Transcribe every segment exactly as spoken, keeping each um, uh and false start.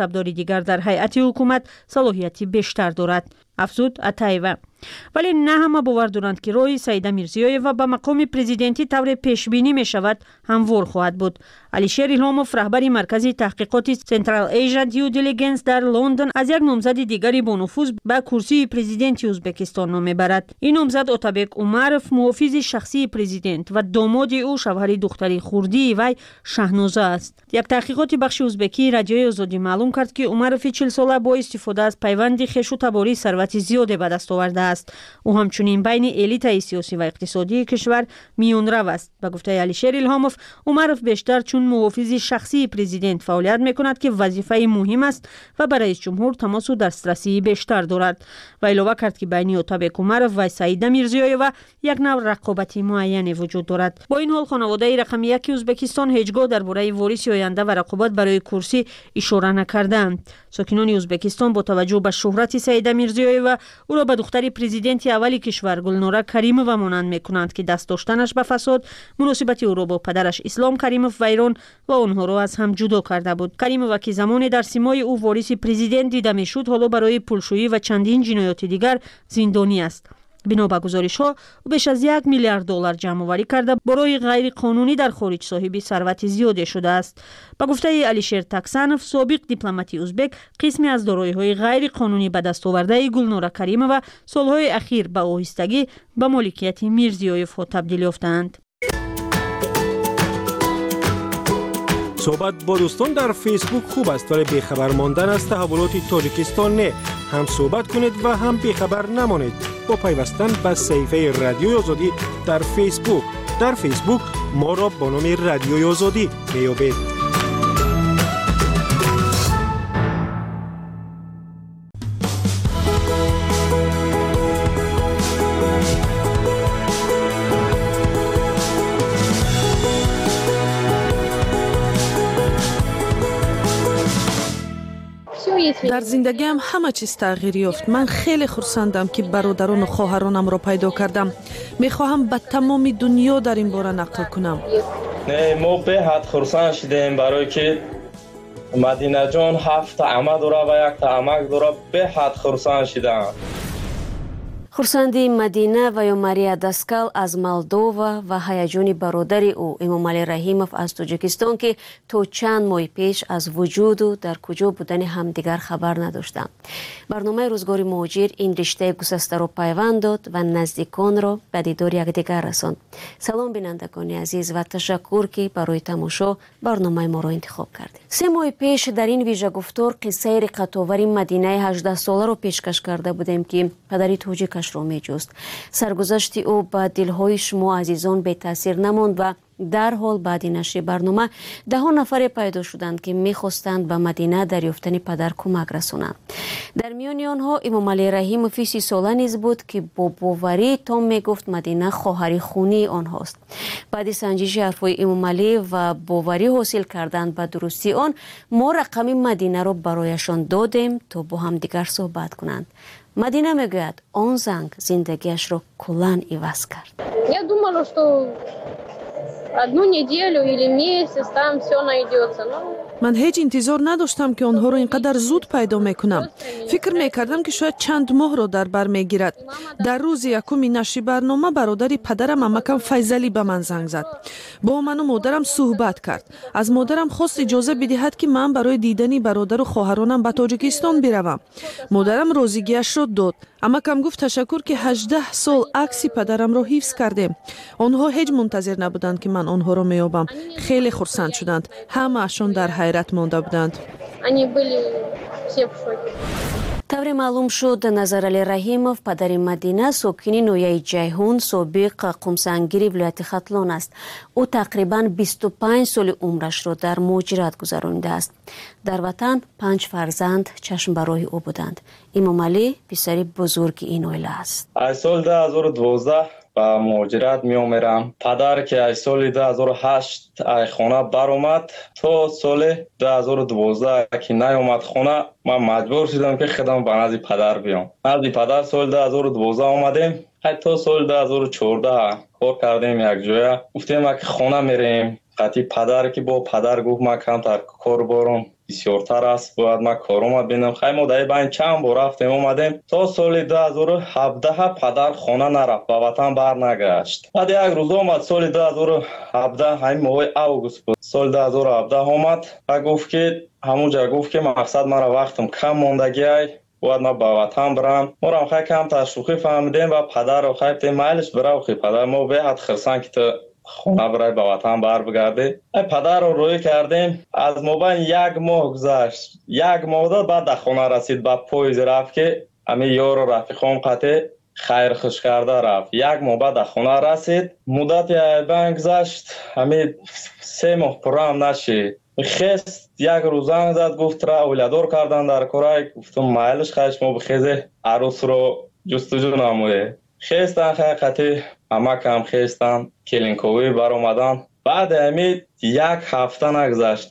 Мансабдори дигар дар ҳайати ҳукумат салоҳияти бештар дорад, афзуд Атаева. Вале на ҳама бовар доранд, ки роҳи Саида Мирзиёева ба мақоми президентӣ тавре пешбинӣ мешавад ҳамвор хоҳад буд. Алишер Илҳомов, раҳбари маркази таҳқиқоти Central Asia Due Diligence дар Лондон, аз як номзади дигари бонуфуз ба курсии президенти Ӯзбекистон ном мебарад. Ин номзад Отабек Умаров, муҳофизи шахсии президент ва домоди ӯ, шавҳари духтари хурдии вай Шаҳноза аст. Як таҳқиқоти бахши ӯзбекии Радиои Озодӣ маълум кард, ки Умарови чилсола бо истифода аз пайванди хешу таборӣ сарвати зиёде ба даст овардааст. Ӯ ҳамчунин байни элитаи сиёсӣ ва иқтисодии кишвар миёнрав аст. Ба гуфтаи Алишер Илҳомов, Умаров бештар чун муҳофизи шахсии президент фаъолият мекунад, ки вазифаи муҳим аст ва ба раисҷумҳур тамосу дастрасии бештар дорад. Ва илова кард, ки байни Отабек Умаров ва Саида Мирзиёева як нав рақобати муайяне вуҷуд дорад. Бо ин ҳол хонаводаи рақами яки Ӯзбекистон ҳеҷ гоҳ дар бораи вориси оянда ва рақобат барои курсӣ ишора накардаанд. Сокинони Ӯзбекистон бо таваҷҷӯҳ ба шӯҳрати Саида Мирзиёева ӯро ба духтари президенти аввали кишвар Гулнора Каримова монанд мекунанд, ки даст доштанаш ба фасод муносибати ӯро бо падараш Ислом Каримов вайрон ва онҳоро аз ҳам ҷудо карда буд. Каримова, ки замоне дар симои ӯ вориси президент дида мешуд, ҳоло барои пулшӯӣ ва чандин ҷиноёти дигар зиндонӣ аст. Бино ба гузоришҳо, ӯ беш аз як миллиард доллар ҷамъоварӣ карда, бо роҳи ғайриқонунӣ дар хориҷ соҳиби сарвати зиёде шудааст. Ба гуфтаи Алишер Таксанов, собиқ дипломати ӯзбек, қисме аз дороиҳои ғайриқонунӣ ба даст овардаи Гулнора Каримова солҳои ахир ба оҳистагӣ ба моликияти Мирзиёевҳо табдил ёфтаанд. Суҳбат бо дӯстон дар Фейсбук хуб аст, вале бехабар мондан аз таҳаввулоти Тоҷикистон не. Ҳам суҳбат кунед ва ҳам бехабар намонед бо пайвастан ба саҳифаи Радиои Озодӣ дар Фейсбук. Дар Фейсбук моро бо номи Радиои Озодӣ меёбед. Дар зиндагиам ҳама чиз тағйир ёфт. Ман хеле хурсандам, ки бародарону хоҳаронамро пайдо кардам. Мехоҳам ба тамоми дунё дар ин бора нақл кунам. Не, мо беҳад хурсанд шудем, барое ки Мадинаҷон ҳафта ама дора ва якта амак дора. Беҳад хурсанд шудам. Хурсандии Мадина ва ё Мария Даскал аз Молдова ва ҳаяҷони бародари ӯ Эмомалӣ Раҳимов аз Тоҷикистон, ки то чанд моҳи пеш аз вуҷуду дар куҷо будани ҳамдигар хабар надоштанд. Барномаи Рӯзгори муҳоҷир ин риштаи гусастаро пайванд дод ва наздиконро ба дидори якдигар расонд. Салом, бинандагони азиз, ва ташаккур, ки барои тамошо барномаи моро интихоб кардед. Се моҳи пеш дар ин вижагуфтор қиссаи риққатовари Мадинаи ҳаждаҳсоларо пешкаш карда будем, ки падари тоҷикаш ро меҷуст. Саргузашти ӯ ба дилҳои шумо азизон бетаъсир намонд ва дарҳол баъди нашри барнома даҳо нафаре пайдо шуданд, ки мехостанд ба Мадина дар ёфтани падар кӯмак расонанд. Дар миёни онҳо Эмомалӣ Раҳимови сисола низ буд, ки бо боварии том мегуфт Мадина хоҳари хунии онҳост. Баъди санҷиши ҳарфҳои Эмомалӣ ва боварӣ ҳосил кардан ба дурустии он, мо рақами Мадинаро барояшон додем, то бо ҳамдигар суҳбат кунанд. Мадина мегӯяд, он занг зиндагиашро куллан иваз кард. Я думала, что одну неделю или месяц там все найдется. Но... Ман ҳеҷ интизор надоштам, ки онҳоро ин қадар зуд пайдо мекунам. Фикр мекардам, ки шояд чанд моҳро дар бар мегирад. Дар рӯзи якуми нашри барнома бародари падарам, амакам Файзалӣ, ба ман занг зад. Бо ману модарам суҳбат кард. Аз модарам хост иҷоза бидиҳад, ки ман барои дидани бародару хоҳаронам ба Тоҷикистон биравам. Модарам розигиашро дод. Амакам гуфт: ташаккур, ки ҳаждаҳ сол акси падарамро ҳифз кардем. Онҳо ҳеҷ мунтазир набуданд, ки ман онҳоро меёбам. Хеле хурсанд шуданд. Ҳамаашон дар ҳайрат монда буданд. Тавре маълум шуд, Назаралӣ Раҳимов, падари Мадина, сокини ноҳияи Ҷайҳун, собиқ Қумсангири вилояти Хатлон аст. Ӯ тақрибан бисту панҷ соли умрашро дар муҳоҷират гузаронидааст. Дар ватан панҷ фарзанд чашм ба роҳи ӯ буданд. Эмомалӣ писари бузурги ин оила аст. Аз соли ду ҳазору дувоздаҳ ба муҳоҷират меомерам. Падар ки аз соли ду ҳазору ҳашт аз хона баромад, то соли ду ҳазору дувоздаҳ ки наёмад хона, ман маҷбур шудам, ки худам ба назди падар биём. Назди падар соли ду ҳазору дувоздаҳ омадем. То соли ду ҳазору чордаҳ кор кардем якҷоя. Гуфтем, ки хона мерем. Қати падар ки бо падар гуфт ман камтар кор борам бисёртар аст, бояд ман корома бинам. Хай мо дар байн чанд бор рафтем омадем. То соли ду ҳазору ҳабдаҳ падар хона нарафт, ба ватан бар нагашт. Баъд як рӯз омад, соли ду ҳазору ҳабдаҳ, ҳамин моҳи август буд, соли ду ҳазору ҳабдаҳ омад ва гуфт ки ҳамунҷа гуфт ки мақсад мара вақтам кам мондагиай, бояд ман ба ватан бирам. Морам хай камтар шӯхӣ фаҳмидем ва падарро хай гуфтем майлиш бирав, хи падар мо беҳад хирсанд ки ту хона бирай, ба ватан бар бигардӣ. Ай падарро рӯй кардем, аз мобайн як моҳ гузашт, як моҳ дод, баъд дар хона расид, ба поезд рафт ки ҳамин ёру рафиқом қатъи хайр хуш карда рафт. Як моҳ баъд дар хона расид, муддати айбан гузашт, ҳамин се моҳ пурраам нашид. Хест як рӯз занг зад, гуфт ра оиладор кардан дар корай. Гуфтум майлиш, хай шумо бихезе арӯсро ҷустуҷӯ намоед. Хестан хай қатъи амакам хестан, келинковӣ баромадан. Баъди ҳамин як ҳафта нагузашт,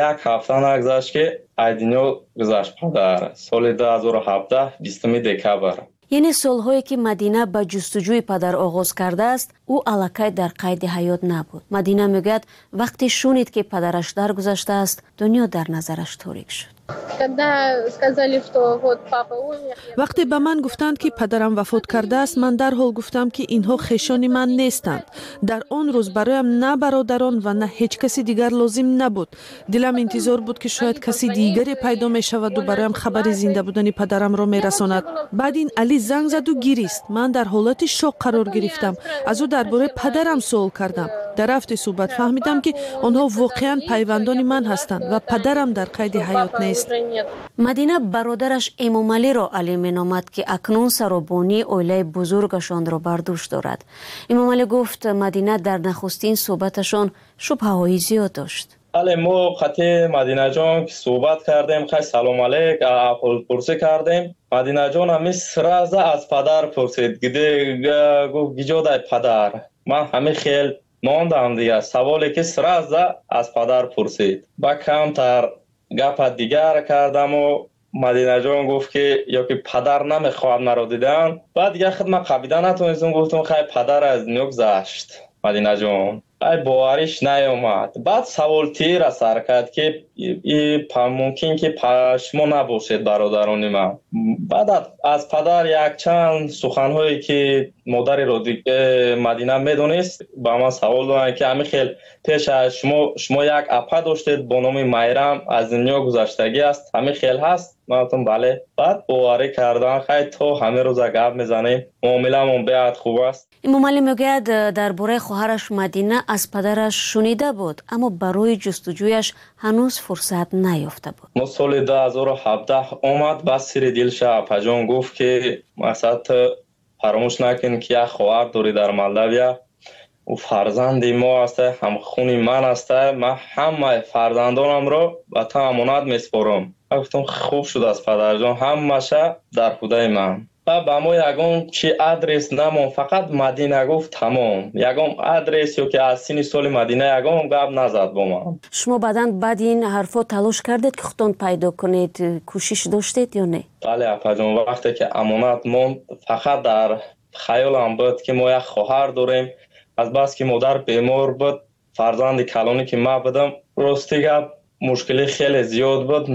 як ҳафта нагузашт ки ай дунё гузашт падар. Соли ду ҳазору ҳабдаҳ, бистуми декабр. Яъне солҳое ки Мадина ба ҷустуҷӯи падар оғоз кардааст, ӯ аллакай дар қайди ҳаёт набуд. Мадина мегӯяд вақте шунид ки падараш даргузаштааст, дунё дар назараш торик шуд. Вақте ба ман гуфтанд ки падарам вафот кардааст, ман дарҳол гуфтам ки инҳо хешони ман нестанд. Дар он рӯз бароям на бародарон ва на ҳеҷ каси дигар лозим набуд. Дилам интизор буд ки шояд каси дигаре пайдо мешаваду бароям хабари зинда будани падарамро мерасонад. Баъд ин Али занг заду гирист. Ман дар ҳолати шок қарор гирифтам. Аз ӯ дар бораи падарам суол кардам. Дар рафти суҳбат фаҳмидам ки онҳо воқеан пайвандони ман ҳастанд ва падарам дар қайди ҳаёт нест. Мадина бародараш Эмомалиро Али меномад ки акнун саробонии оилаи бузургашонро бар дӯш дорад. Эмомалӣ гуфт Мадина дар нахустин суҳбаташон шубҳаҳои зиёд дошт. Бале, мо қатъи Мадинаҷон ки суҳбат кардем, хай салом алейк, аҳволпурсӣ кардем. Мадинаҷон ҳамин сразу аз падар пурсид, гуфт гиҷодай падар. Ман ҳамин хел мондам дигар, саволе ки сразу аз падар пурсид. Ба камтар гапа дигар кардаму Мадинаҷон гуфт ки ё ки падар намехоҳад маро дидан. Баъд дигар худ ман қабида натонистам, гуфтам хай падар аз дунё гузашт Мадинаҷон. Ай бовариш наёмад. Баъд савол тира сар кард ки мумкин ки шумо набошед бародарони ман. Баъд аз падар якчанд суханҳое ки модари Мадина медонист ба ман савол доданд ки ҳамин хел пеш аз шумо шумо як апа доштед бо номи Майрам, аз дунё гузаштагӣ аст, ҳамин хел ҳаст? Ман гуфтам бале. Баъд боварӣ кардан, хай то ҳамин рӯза гап мезанем, муомиламон беҳад хуб аст. Эмомалӣ мегӯяд дар бораи хоҳараш Мадина аз падараш шунида буд, аммо барои ҷустуҷӯяш ҳанӯз фурсат наёфта буд. Мо соли ду ҳазору ҳабдаҳ омад, бас сири дилша апаҷон гуфт ки мақсад фаромӯш накун ки як хоҳар дорӣ дар Молдавия, ӯ фарзанди мо аст, ҳамхуни ман аст, ман ҳамаи фарзандонамро ба ту амонат месупорам. Ман гуфтам хуб шудааст падарҷон, ҳамаша дар худаи ман. Ба ба мо ягон чи адрес намон, фақат Мадина гуфт тамом. Ягон адрес ё ки аз синни соли Мадина ягон гап назад бо ман. Шумо баъдан баъди ин ҳарфҳо талош кардед ки худтон пайдо кунед, кӯшиш доштед ё не? Бале апаҷон, вақте ки амонат монд, фақат дар хаёлам буд ки мо як хоҳар дорем. Аз бас ки модар бемор буд, фарзанди калонӣ ки ман будам, рости гап мушкилӣ хеле зиёд буд.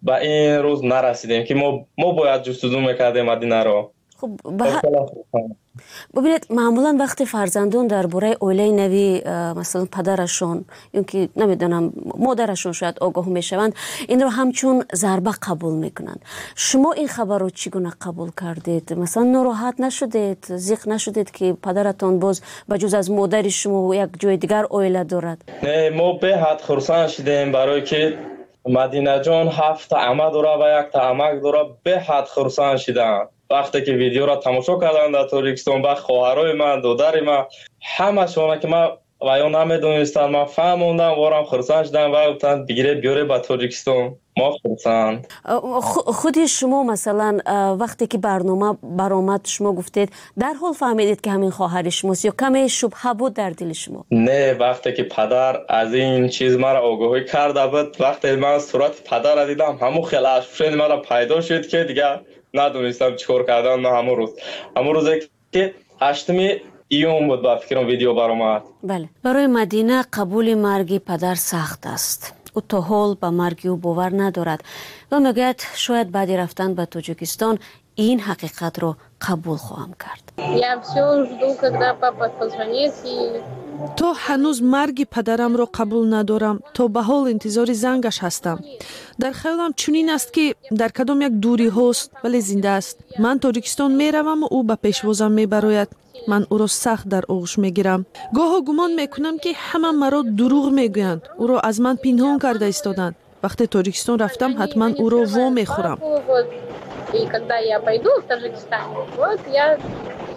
Ба ин рӯз нарасидем ки мо мо бояд ҷустуҷӯ мекардем Мадинаро. Хуб, бубинед, маъмулан вақте фарзандон дар бораи оилаи нави масалан падарашон ё ки намедонам модарашон шояд огоҳ мешаванд, инро ҳамчун зарба қабул мекунанд. Шумо ин хабарро чӣ гуна қабул кардед? Масалан нороҳат нашудед, зиқ нашудед ки падаратон боз ба ҷуз аз модари шумо як ҷои дигар оила дорад? Не, мо беҳад хурсанд шудем, барое ки Мадинаҷон ҳафт ама дора ва якта амак дора, беҳад хурсанд шиданд. Вақте ки видеоро тамошо карданд дар Тоҷикистон, ба хоҳарои ман, додари ман, ҳамашона ки ман ва ё намедонистанд, ман фаҳмондам, ворам хурсанд шудам ва гуфтанд бигире биёре ба Тоҷикистон. Мо хурсанд. Худи шумо масалан вақте ки барнома баромад, шумо гуфтед дарҳол фаҳмидед ки ҳамин хоҳари шумост ё каме шубҳа буд дар дили шумо? Не, вақте ки падар аз ин чиз маро огоҳӣ карда буд, вақте ман сурати падарро дидам, ҳамон хел ашпушени маро пайдо шуд ки дигар надонистам чӣ кор кардан. Ман ҳамон рӯз, ҳамон рӯзе ки ҳаштуми июн буд, ба фикрам, видео баромад. Бале, барои Мадина қабули марги падар сахт аст. Ӯ то ҳол ба марги ӯ бовар надорад ва мегӯяд, шояд баъди рафтан ба Тоҷикистон ин ҳақиқатро қабул хоҳам кард. Я все жду, когда папа позвонит и То ҳанӯз марги падарамро қабул надорам. То ба ҳол интизори зангаш ҳастам. Дар хаёлам чунин аст, ки дар кадом як дуриҳост, вале зинда аст. Ман Тоҷикистон мераваму ӯ ба пешвозам мебарояд. Ман ӯро сахт дар оғӯш мегирам. Гоҳо гумон мекунам, ки ҳама маро дурӯғ мегӯянд, ӯро аз ман пинҳон карда истоданд. Вақте Тоҷикистон рафтам, ҳатман ӯро во мехӯрам. И когда я пойду в Таджикистан, вот я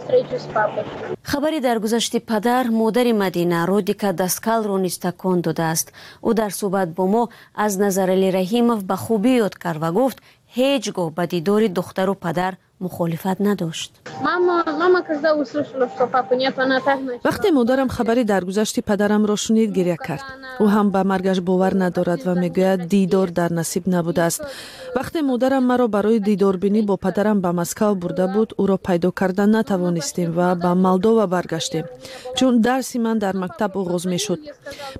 встречусь с папой. Хабари даргузашти падар модари Мадина, Родика Даскалро низ такон додааст. Ӯ дар суҳбат бо мо аз Назарали Раҳимов ба хубӣ ёд кард ва гуфт, ҳеҷ гоҳ ба дидори духтару падар мухолифат надошт. Мама, мама, когда услышала, что папы нет, она так начала. Вақте модарам хабари даргузашти падарамро шунид, гиря кард. Ӯ ҳам ба маргаш бовар надорад ва мегӯяд, дидор дар насиб набудааст. Вақте модарам маро барои дидорбинӣ бо падарам ба Москав бурда буд, ӯро пайдо карда натавонистем ва ба Молдова баргаштем, чун дарси ман дар мактаб оғоз мешуд.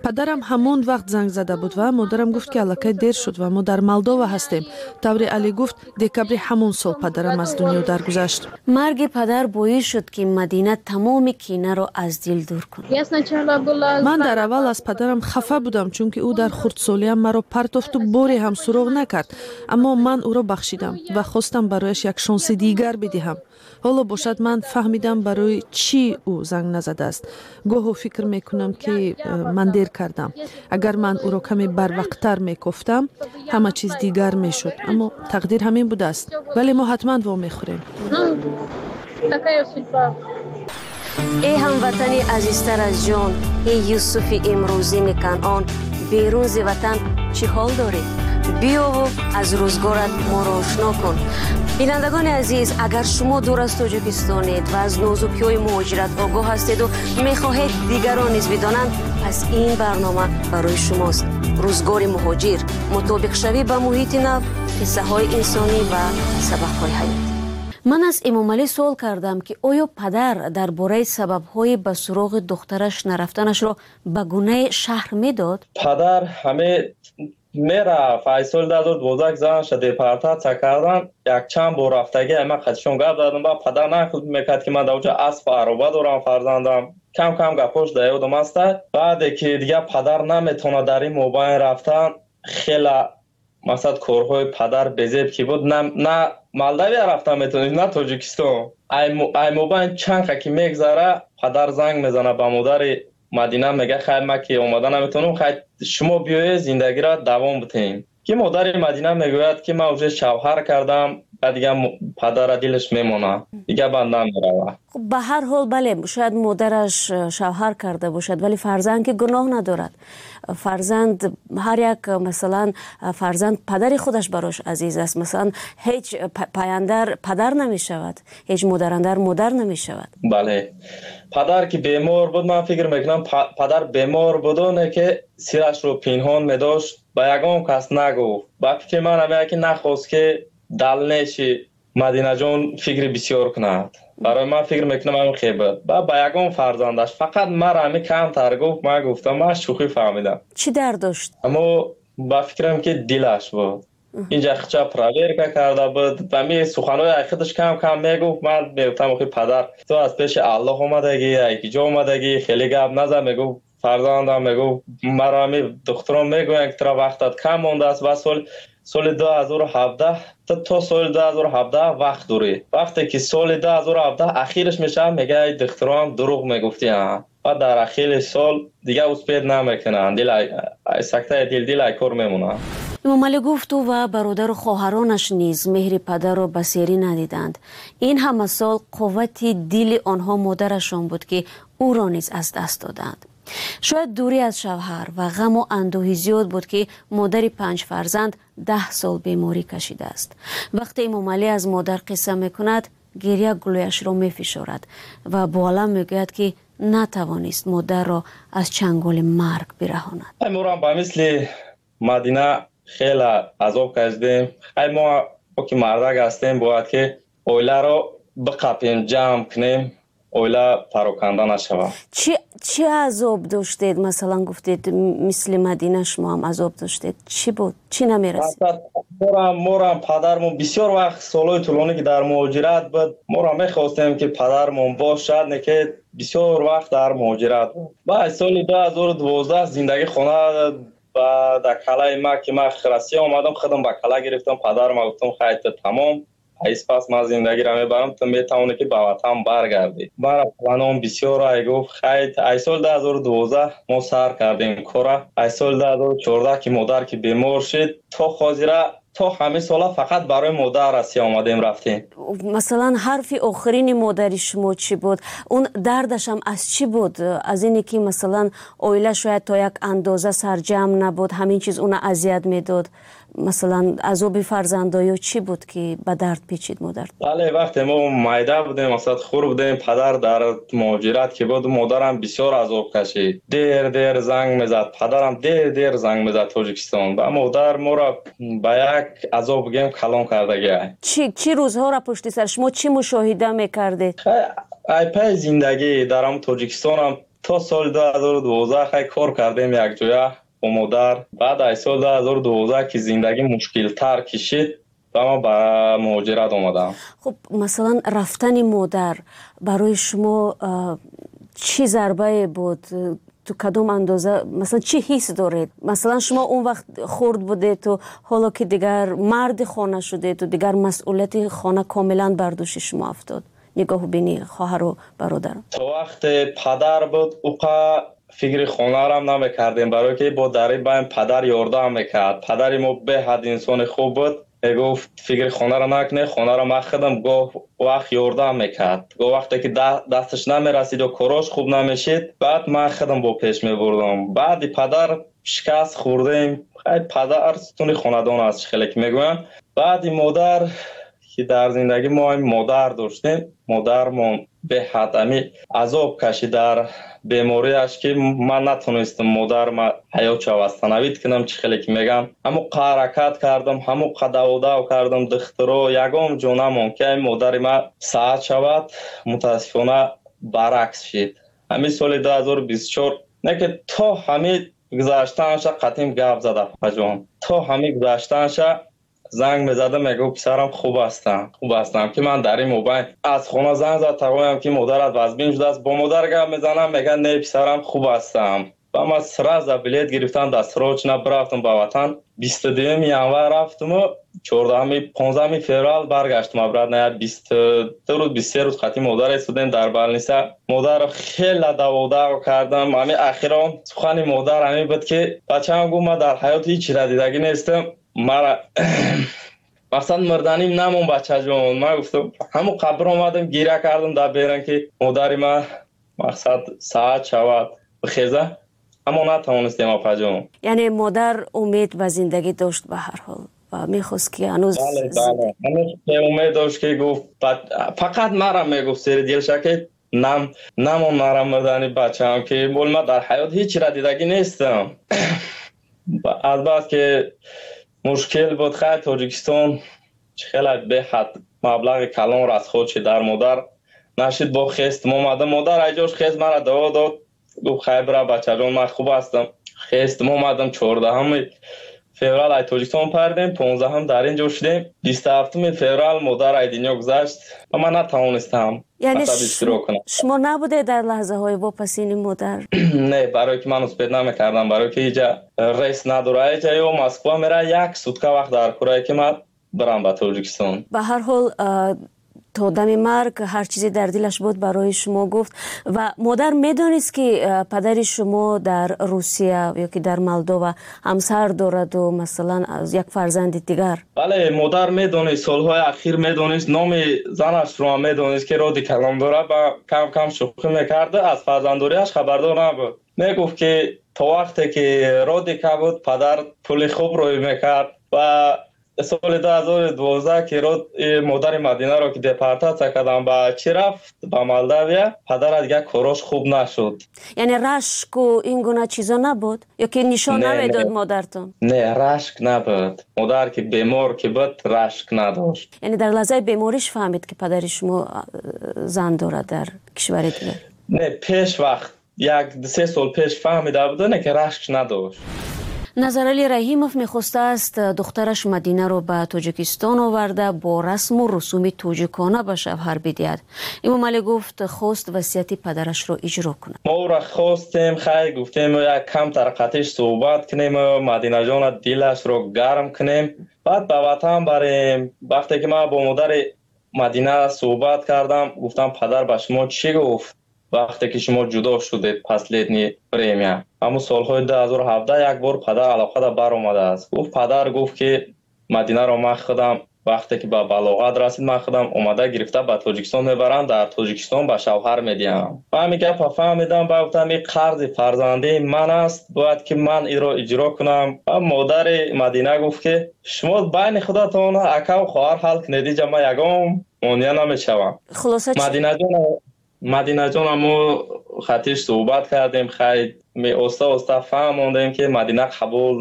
Падарам ҳамон вақт занг зада буд ва модарам гуфт, ки аллакай дер шуд ва мо дар Молдова ҳастем. Тавре Алӣ гуфт, декабри ҳамон сол падарам аз дунё даргузашт. Марги падар боис шуд, ки Мадина тамоми кинаро аз дил дур кунад. Я сначала была Ман дар аввал аз падарам хафа будам, чунки ӯ дар хурдсолиам маро партофту боре ҳам суроғ накард. Аммо ман ӯро бахшидам ва хостам барояш як шонси дигар бидиҳам. Ҳоло бошад, ман фаҳмидам, барои чӣ ӯ занг назадааст. Гоҳо фикр мекунам, ки э, ман дер кардам. Агар ман ӯро каме барвақттар мекофтам, ҳама чиз дигар мешуд. Аммо тақдир ҳамин будааст, вале мо ҳатман вомехӯрем. Ну, такая судьба. Эй ҳамватани азизтар аз ҷон, эй Юсуфи имрӯзини Канъон, берун зи ватан чӣ ҳол дорӣ? Биёву аз рӯзгорат моро ошно кун. Бинандагони азиз, агар шумо дур аз Тоҷикистонед ва аз нозукиҳои муҳоҷират огоҳ ҳастеду мехоҳед дигарон низ бидонанд, пас ин барнома барои шумост. Рӯзгори муҳоҷир, мутобиқшавӣ ба муҳити нав, қиссаҳои инсонӣ ва сабақҳои ҳаёт. Ман аз Эмомалӣ суол кардам, ки оё падар дар бораи сабабҳои ба суроғи духтараш нарафтанашро ба гунае шарҳ медод. Падар ҳаме мерафт. Ай соли дуҳазору дувоздаҳ занаша депортатсия кардан, якчанд бор рафтагӣ. Ама қатишон гап задам ба падар, нақл мекард, ки ман дар оҷа асп ароба дорам, фарзандам. Кам кам гапош дар ёдам аста. Баъде ки дигар падар наметавонад дар ин мобайн рафтан, хела масалан корҳои падар безеб ки буд, на Молдавия рафтан метавонист, на Тоҷикистон. Ай мобайн чанд ка ки мегзара, падар занг мезанад ба модари Мадина, мега: «Хай, ман ки омада наметавонам, хай, шумо биёед, зиндагиро давом битем». Ки модари Мадина мегӯяд, ки ман уже шавҳар кардам. Ба дигар падара дилаш мемонад, дигар банд намеравад. Ба ҳар ҳол, бале, шояд модараш э, шавҳар карда бошад, вале фарзанд ки гуноҳ надорад. Фарзанд ҳар як, масалан, фарзанд падари худаш барош азиз аст. Масалан, ҳеҷ паяндар падар намешавад, ҳеҷ модарандар модар намешавад. Бале, падар ки бемор буд, ман фикр мекунам, падар бемор буду, не ки сирашро пинҳон медошт, ба ягон кас нагуфт. Ба фикри ман, ҳамея ки нахост, ки далнеши Мадинаҷон фикри бисёр кунад. Барои ман, фикр мекунам, ҳамин хел буд. Ба ба ягон фарзандаш, фақат мара ҳами камтар гуфт. Ман гуфтам, ман шӯхӣ фаҳмидам. Чӣ дард дошт? Аммо ба фикрам, ки дилаш буд. Инҷа хича проверка карда буд. Ами суханҳои худаш кам кам мегуфт. Ман мегуфтам: «Охи, падар, ту аз пеши Аллоҳ омадагӣ, ки ҷо омадагӣ, хеле гап назан». Мегуфт: «Фарзандам, мегуфт, маро ҳами духтурон мегӯянд, ки тура вақтат кам мондааст ва сол соли дуҳазору ҳабдаҳ то соли дуҳазору ҳабдаҳ вақт дорӣ». Вақте ки соли дуҳазору ҳабдаҳ ахираш мешавад, мегӯяд: «Духтурон дурӯғ мегуфтиям». Ва дар ахири сол дигар успеть намекунанд, сактаи дил, дил ай кор мемонад. Эмомалӣ гуфт, ӯ ва бародару хоҳаронаш низ меҳри падарро ба серӣ надиданд. Ин ҳама сол қуввати дили онҳо модарашон буд, ки ӯро низ аз даст доданд. Шояд дурӣ аз шавҳар ва ғаму андӯҳи зиёд буд, ки модари панҷ фарзанд даҳ сол беморӣ кашидааст. Вақте Эмомалӣ аз модар қисса мекунад, гиря гулӯяшро мефишорад ва бо алам мегӯяд, ки натавонист модарро аз чанголи марг бираҳонад. Морам ба мисли Мадина хеле азоб кашидем. Ай мо ки мардак ҳастем, бояд ки оиларо биқапем, ҷамъ кунем. оила пароканда нашавад. Чӣ чӣ азоб доштед? Масалан, гуфтед, мисли Мадина шумо ҳам азоб доштед. Чӣ буд? Чӣ намерасид? Морам морам падармон бисёр вақт, солҳои тӯлонӣ ки дар муҳоҷират буд, моро мехостем ки падармон бошад, не ки бисёр вақт дар муҳоҷират буд. Баъд соли ду ҳазору дувоздаҳ зиндагӣ хона ба дар калаи ма ки ман Россия омадам, худам ба кала гирифтам, падарма гуфтам, хайр, тамом, ҳайс пас ман зиндагиро мебарам, ту метавонӣ ки ба ватан баргардӣ. Мара планом бисёр ай гуфт, хайр, ай соли ду ҳазору дувоздаҳ мо сар кардем кора. Ай соли ду ҳазору чордаҳ ки модар ки бемор шид, то ҳозира, то ҳамин сола фақат барои модар Россия омадем, рафтем. Масалан, ҳарфи охирини модари шумо чӣ буд? Он дардашам аз чӣ буд? Аз ине ки масалан оила шояд то як андоза сарҷамъ набуд, ҳамин чиз уна азият медод. Масалан, азоби фарзандо ё чӣ буд ки ба дард печид модар? Бале, вақте мо майда будем, масалан хур будем, падар дар муҳоҷират ки буд, модарам бисёр азоб кашид. Дер дер занг мезад, падарам дер дер занг мезад Тоҷикистон. Ва модар моро ба як азоб бигем калон кардагиай. Чӣ чӣ рӯзҳоро пушти сар шумо чӣ мушоҳида мекардед? Ай пай зиндагӣ дар ҳам Тоҷикистонам то соли ду ҳазору дувоздаҳ хай кор кардем якҷоя бо модар. Баъд аз соли ду ҳазору дувоздаҳ ки зиндагӣ мушкилтар кишид, ва ман ба муҳоҷират омадам. Хуб, масалан, рафтани модар барои шумо чӣ зарбае буд? То кадом андоза, масалан, чӣ ҳис доред? Масалан, шумо он вақт хурд будету ҳоло ки дигар марди хона шудету дигар масъулияти хона комилан бар дӯши шумо афтод, нигоҳубини хоҳару бародаро. То вақте падар буд, уқа фикри хонарам намекардем, барое ки бо дари байн падар ёрдам мекард. Падари мо беҳад инсони хуб буд, мегуфт, фикри хонаро накунед, хонаро ман худам гоҳ вақт ёрдам мекард. Гоҳ вақте ки дасташ намерасид ё корош хуб намешид, баъд ман худам бо пеш мебурдам. Баъди падар шикаст хӯрдем. Хай, падар сутуни хонадон аст, чӣ хеле ки мегӯянд. Баъди модар ки дар зиндагӣ мо модар доштем, модармон беҳад ами азоб кашид дар бемориаш ки ман натонистам модарма ҳаётша восстановить кунам, чӣ хеле ки мегӯям. Ҳамон ҳаракат кардам, ҳамон даводав кардам, духтуро ягон ҷо намонд ки ами модари ман саҳат шавад. Мутаассифона, баръакс шид. Ҳамин соли ду ҳазору бисту чор не ки то ҳамин гузаштанаша қатъим гап зада, апаҷон. То ҳамин гузаштанаша занг мезада, мегуфт, писарам, хуб ҳастам, хуб ҳастам. Ки ман дар ин мобайн аз хона занг зад, тағоям ки модарат вазбин шудааст, бо модар гап мезанам, мегӯяд, не, писарам, хуб ҳастам. Ва ман сразу билет гирифтам, досрочно рафтам ба ватан. Бисту дуюми январ рафтаму чордаҳами, понздаҳами феврал баргаштам обратно. Я бисту ду рӯз, бисту се рӯз қатъи модар истодем дар больница. Модарро хеле даводав кардам. Ҳамин ахирон сухани модар ҳамин буд ки бачаам гуфт, ман дар ҳаёт ҳеҷ чиро дидагӣ нестам, мара мақсад мурданим намон, бачаҷон. Ман гуфтам, ҳамон қабр омадам, гиря кардам дар беран ки модари ман мақсад саҳат шавад, бихеза, аммо натавонистем, апаҷон. Яъне модар умед ба зиндагӣ дошт ба ҳар ҳол ва мехост ки ҳанӯз Бале, бале, ҳанӯз умед дошт ки гуфт, фақат мара мегуфт сери дилша ки нам намон мара мурдани, бачаам, ки бол ман дар ҳаёт ҳеҷ чиро дидагӣ нестам. Азбас ки мушкил буд, хай, Тоҷикистон хеле беҳад маблағи калон расход шид дар модар нашид. Бо хестм омадам, модар айҷош хест, мара дуо дод, гуфт, хай, бира, бачаҷон, ман хуб ҳастам. Хестм омадам, чордаҳами феврал ай Тоҷикистон пардем, понздаҳам дар ин ҷо шудем. Бисту ҳафтуми феврал модар ай дунё гузашт ва ман натавонистам. Яъне шумо набудед дар лаҳзаҳои вопасини модар? Не, барое ки ман успеть намекардам, барое ки иҷа рейс надора, иҷа ё Москва мера, як сутка вақт дар курае ки ман бирам ба Тоҷикистон. Ба ҳар ҳол, то дами марг ҳар чизе дар дилаш буд, барои шумо гуфт. Ва модар медонист ки падари шумо дар Русия ё ки дар Молдова ҳамсар дораду масалан як фарзанди дигар? Бале, модар медонист, солҳои ахир медонист, номи занашро ҳам медонист ки роди калом дорад ва кам кам шӯхӣ мекарда. Аз фарзанддориаш хабардор набуд. Мегуфт ки то вақте ки Родика буд, падар пули хуб рӯй мекард ва Соли ду ҳазору дувоздаҳ ки модари Мадинаро ки депортатсия кардам, ба чӣ рафт, ба Молдавия, падара дигар корош хуб нашуд. Яъне рашку ин гуна чизо набуд ё ки нишон намедод модартон? Не, рашк набуд. Модар ки бемор ки буд, рашк надошт. Яъне дар лаҳзаи бемориш фаҳмид, ки падари шумо зан дорад дар кишвари дигар? Не, пеш вақт, як се сол пеш фаҳмида буд, не ки рашк надошт. Назаралӣ Раҳимов мехостааст духтараш Мадинаро ба Тоҷикистон оварда, бо расму русуми тоҷикона ба шавҳар бидиҳад. Эмомалӣ гуфт, хост васияти падарашро иҷро кунад. Мо ӯро хостем, хай, гуфтем, як камтар қатиш суҳбат кунем, Мадинаҷона дилашро гарм кунем, баъд ба ватан барем. Вақте ки ман бо модари Мадина суҳбат кардам, гуфтам: «Падар ба шумо чӣ гуфт, вақте ки шумо ҷудо шудед последнее время?» Ҳамун солҳои дуҳазору ҳабдаҳ як бор падар алоқада баромадааст. Гуфт, падар гуфт, ки Мадинаро ман худам, вақте ки ба балоғат расид, ман худам омада гирифта ба Тоҷикистон мебарам, дар Тоҷикистон ба шавҳар медиҳам. Ба ҳамин гапа фаҳмидам, ба гуфтам, ин қарзи фарзандии ман аст, бояд ки ман инро иҷро кунам. Ва модари Мадина гуфт, ки шумо байни худатон акаву хоҳар ҳал кунед, иҷа ман ягон монеа намешавам. Мадинаҷон, Мадинаҷона мо хатиш суҳбат кардем, хай, оста оста фаҳмондем, ки Мадина қабул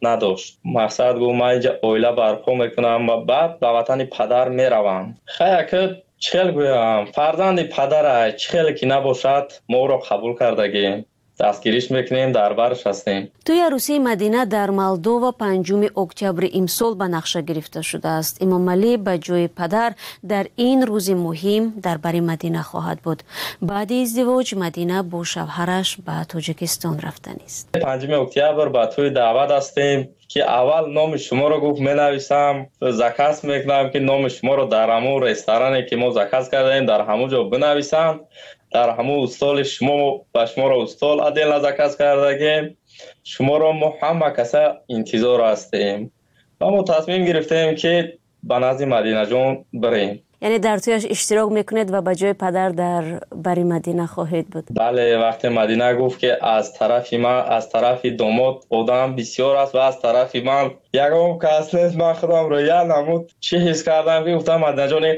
надошт. Мақсад, гуфт, ман инҷа оила барпо мекунам ва баъд ба ватани падар меравам. Хай, ака, чӣ хел гӯям, фарзанди падарай, чӣ хеле ки набошад, мо ӯро қабул кардагем, дастгириш мекунем, дар барш ҳастем. Тӯи арӯсии Мадина дар Молдова панҷуми октябри имсол ба нақша гирифта шудааст. Эмомалӣ ба ҷои падар дар ин рӯзи муҳим дар бари Мадина хоҳад буд. Баъди издивоҷ Мадина бо шавҳараш ба Тоҷикистон рафтанист. Панҷуми октябр ба тӯи даъват ҳастем, ки аввал номи шуморо, гуфт, менависам, заказ мекунам, ки номи шуморо дар ҳамун ресторане, ки мо заказ кардаем, дар ҳамун ҷо бинависанд, дар ҳамун столи шумо, ба шуморо стол отдельно заказ кардагем. Шуморо мо ҳама каса интизор ҳастем. Ва мо тасмим гирифтем, ки ба назди Мадинаҷон бирем. Яъне дар тӯяш иштирок мекунед ва ба ҷои падар дар бари Мадина хоҳед буд? Бале, вақте Мадина гуфт, ки аз тарафи ман, аз тарафи домод одам бисёр аст ва аз тарафи ман ягон кас нест, ман худамро як намуд чӣ ҳис кардам, ки гуфтам: «Мадинаҷоне,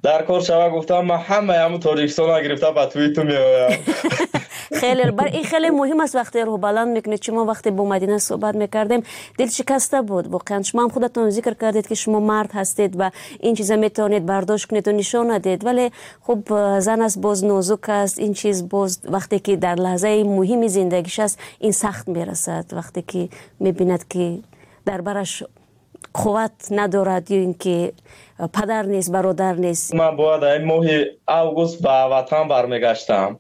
дар кор шава», гуфтам, «ман ҳамаи ҳамун Тоҷикистонро гирифта ба тӯи ту меоям». Хеле бар ин хеле муҳим аст, вақте рӯҳбаланд мекунед. Шумо вақте бо Мадина суҳбат мекардем, дилшикаста буд воқеан. Шумо ҳам худатон зикр кардед, ки шумо мард ҳастед ва ин чиза метавонед бардошт кунеду нишон надиҳед, вале хуб, зан аст, боз нозук аст ин чиз, боз вақте ки дар лаҳзаи муҳими зиндагиш аст, ин сахт мерасад, вақте ки мебинад, ки дар бараш қувват надорад ё ин ки падар нест, бародар нест. Ман бояд ин моҳи август ба ватан бармегаштам.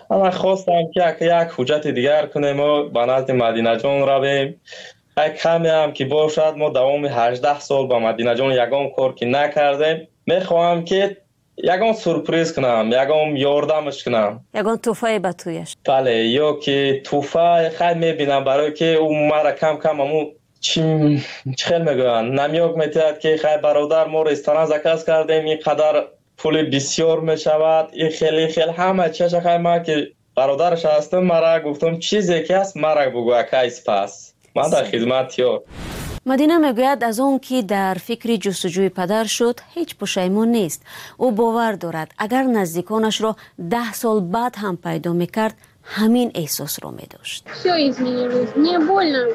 Ман хостам, ки як ҳуҷҷати дигар кунему ба назди Мадинаҷон равем. Як камеам ки бошад, мо давоми ҳаждаҳ сол ба Мадинаҷон ягон кор ки накардем, мехоҳам, ки ягон сюрприз кунам, ягон ёрдамаш кунам. Ягон тӯҳфае ба тӯяш. Бале, ё ки тӯҳфа, хай, мебинам, барое ки ӯ мара кам кам ҳамун чӣ хел мегӯянд, намёк метиҳад, ки хай, бародар, мо ресторан заказ кардем, ин қадар пули бисёр мешавад, ин хел, ин хел, ҳама чиша. Хай, ман ки бародараш ҳастам, мара гуфтам, чизе ки ҳаст, мара бугӯ, акай спас, ман дар хизмат ёр. Мадина мегӯяд, аз он ки дар фикри ҷустуҷӯи падар шуд, ҳеҷ пушаймон нест. Ӯ бовар дорад, агар наздиконашро даҳ сол баъд ҳам пайдо мекард, ҳамин эҳсосро медошт. Все изменилось. Мне больно.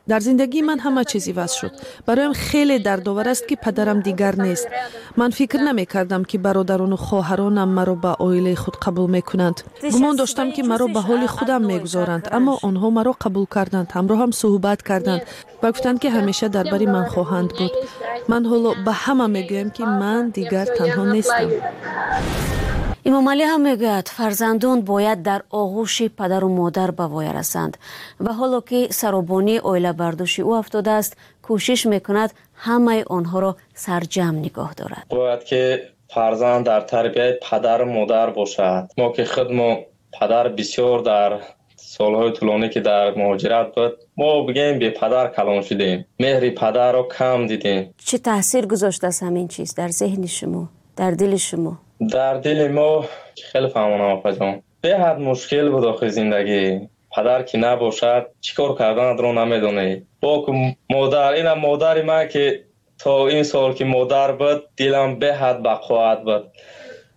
Дар зиндагии ман ҳама чиз иваз шуд. Бароям хеле дардовар аст, ки падарам дигар нест. Ман фикр намекардам, ки бародарону хоҳаронам маро ба оилаи худ қабул мекунанд. Гумон доштам, ки маро ба ҳоли худам мегузоранд, аммо онҳо маро қабул карданд, ҳамроҳам суҳбат карданд ва гуфтанд, ки ҳамеша дар бари ман хоҳанд буд. Ман ҳоло ба ҳама мегӯям, ки ман дигар танҳо нестам. Имомалӣ ҳам мегӯяд, фарзандон бояд дар оғӯши падару модар ба воя расанд ва ҳоло ки саробонии оила бар дӯши ӯ афтодааст, кӯшиш мекунад ҳамаи онҳоро сарҷамъ нигоҳ дорад. Бояд ки фарзанд дар тарбияи падару модар бошад. Мо ки худмо падар бисёр дар солҳои тӯлонӣ, ки дар муҳоҷират буд, мо бигӯем, бепадар калон шудем, меҳри падарро кам дидем. Чӣ таъсир гузоштааст ҳамин чиз дар зеҳни шумо, дар дили шумо? Дар дили мо, хеле фаҳмонам, опаҷон, беҳад мушкил буд охи зиндагӣ. Падар ки набошад, чӣ кор карданатро намедонӣ. Бо модар, ина модари ман ки То ин сол ки модар буд, дилам беҳад бақувват буд.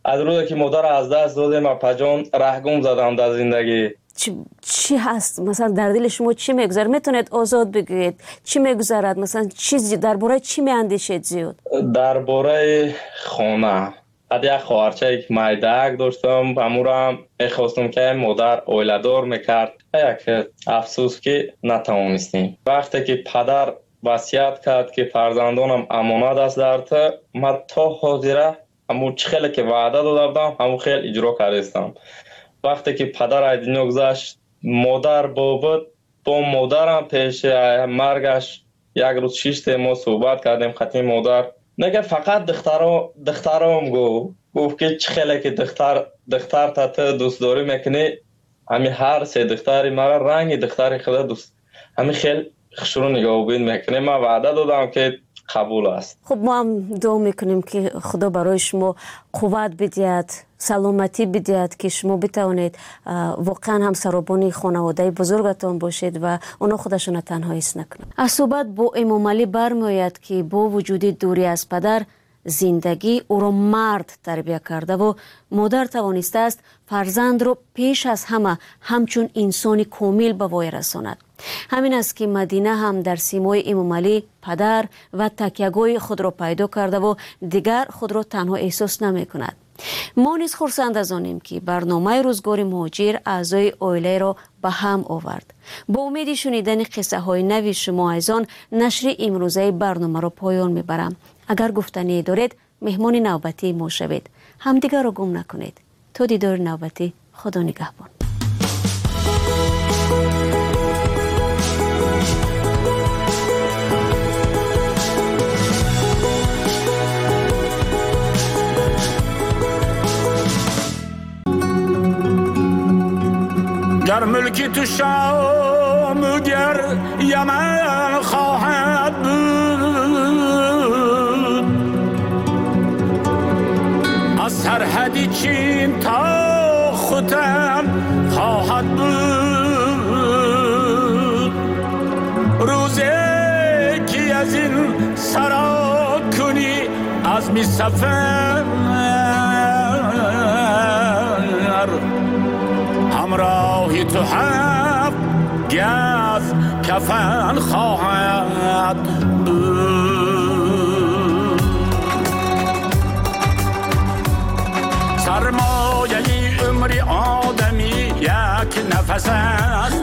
Аз рӯзе ки модар аз даст додем, апаҷон, раҳгум задам дар зиндагӣ. Чӣ ҳаст масалан дар дили шумо, чӣ мегузарад? Метавонед озод бигӯед, чӣ мегузарад? Масалан чиз дар бораи чӣ меандешед зиёд? Дар бораи хона. Баъд як хоҳарчае ки майдаак доштам, ҳамурам мехостам ки модар оиладор мекард. Як афсӯс ки натавонистем. Вақте ки падар васият кард ки фарзандонам амонат аст дар ту, ман то ҳозира ҳамун чӣ хеле ки ваъда дода будам, ҳамун хел иҷро кардастам. Вақте ки падар аз дунё гузашт, модар бобуд, бо модарам пеши маргаш як рӯз шиштем, мо суҳбат кардем хати модар. Нега фақат духтаро духтаром гуфт, гуфт ки чӣ хеле ки духтар духтарта ту дӯстдорӣ мекунӣ, ҳами ҳар се духтари мара ранги духтари худа дӯст, ҳами хел хушрӯ нигоҳубин мекунӣ. Ман ваъда додам ки қабул аст. Хуб, мо ҳам дуо мекунем ки Худо барои шумо қувват бидиҳад, саломатӣ бидиҳад, ки шумо битавонед воқеан ҳам саробони хонаводаи бузургатон бошед ва онҳо худашонро танҳо ҳис накунанд. Аз суҳбат бо Эмомалӣ бармеояд ки бо вуҷуди дурӣ аз падар, зиндагӣ ӯро мард тарбия кардаву модар тавонистааст фарзандро пеш аз ҳама ҳамчун инсони комил ба воя расонад. Ҳамин аст ки Мадина ҳам дар симои Эмомалӣ падар ва такягоҳи худро пайдо кардаву дигар худро танҳо эҳсос намекунад. Мо низ хурсанд аз онем ки барномаи рӯзгори муҳоҷир аъзои оилаеро ба ҳам овард. Бо умеди шунидани қиссаҳои нави шумо азизон, нашри имрӯзаи барномаро поён мебарам. Агар гуфтание доред, меҳмони навбатии мо шавед. Ҳамдигарро гум накунед. То дидори навбатӣ, Худо нигаҳбон. Гар мулки ту Шом гар Яман хоҳад буд, аз сарҳади Чин то Хутан хоҳад буд. Рӯзе ки аз ин саро кунӣ азми сафар, ҳамроҳи ту ҳафт газ кафан хоҳад буд. Сармояи умри одамӣ як нафас аст,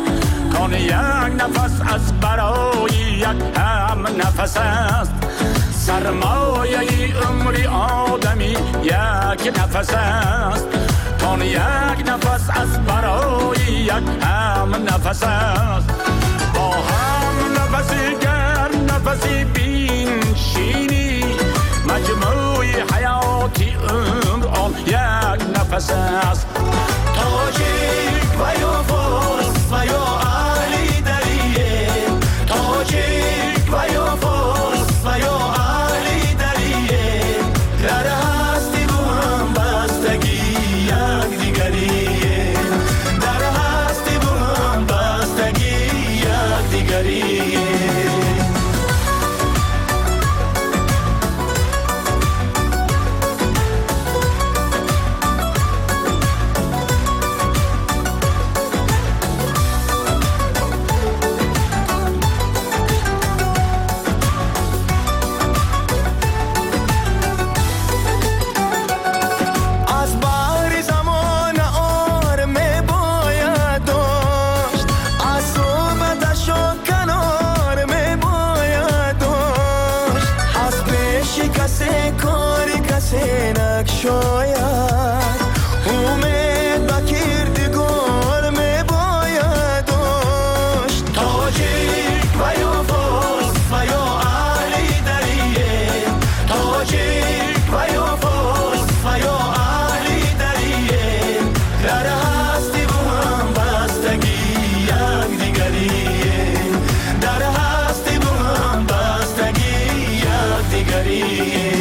кон як нафас аз барои як ҳам нафас аст. Сармояи умри одамӣ як нафас аст, кон як нафас аз барои як ҳам нафас аст. Бо ҳам нафаси гар нафаси биншинӣ, маҷмӯи ҳаёти умр он як нафас аст. Тоҷик ва ё форс ва ё аҳли дарие, тоҷик ва ё форс ва ё аҳли дарие, дар ҳастӣ бу ҳамбастагӣ якдигарие, дар ҳастӣ бу ҳамбастагӣ якдигарие. شاید امید به کردگار می باید داشت. تاجیک و یا فارس و یا اهل دریه، تاجیک و یا فارس و یا اهل دریه، در هستی و هم بستگی یکدیگریه، در هستی و هم بستگی یکدیگریه.